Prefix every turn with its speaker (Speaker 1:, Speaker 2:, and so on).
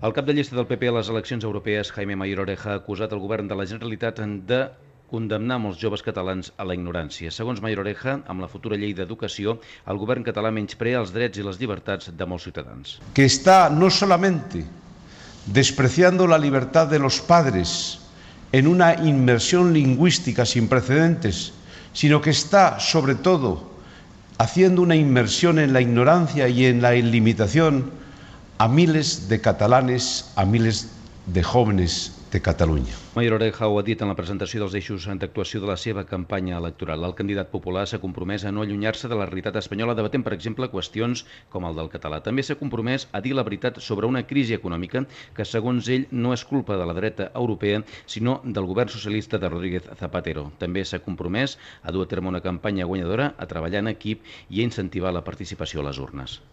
Speaker 1: El cap de llista del PP a les eleccions europees, Jaime Mayor Oreja, ha acusat el govern de la Generalitat de condemnar molts joves catalans a la ignorància. Segons Mayor Oreja, amb la futura llei d'educació, el govern català menysprea els drets i les llibertats de molts ciutadans.
Speaker 2: Que está no solamente despreciando la libertad de los padres en una inmersión lingüística sin precedentes, sino que está, sobre todo, haciendo una inmersión en la ignorancia y en la limitación a miles de catalanes, a miles de jóvenes de Catalunya.
Speaker 1: Mayor Oreja ho ha dit en la presentació dels eixos d'actuació de la seva campanya electoral. El candidat popular s'ha compromès a no allunyar-se de la realitat espanyola, debatent, per exemple, qüestions com el del català. També s'ha compromès a dir la veritat sobre una crisi econòmica que, segons ell, no és culpa de la dreta europea, sinó del govern socialista de Rodríguez Zapatero. També s'ha compromès a dur a terme una campanya guanyadora, a treballar en equip i a incentivar la participació a les urnes.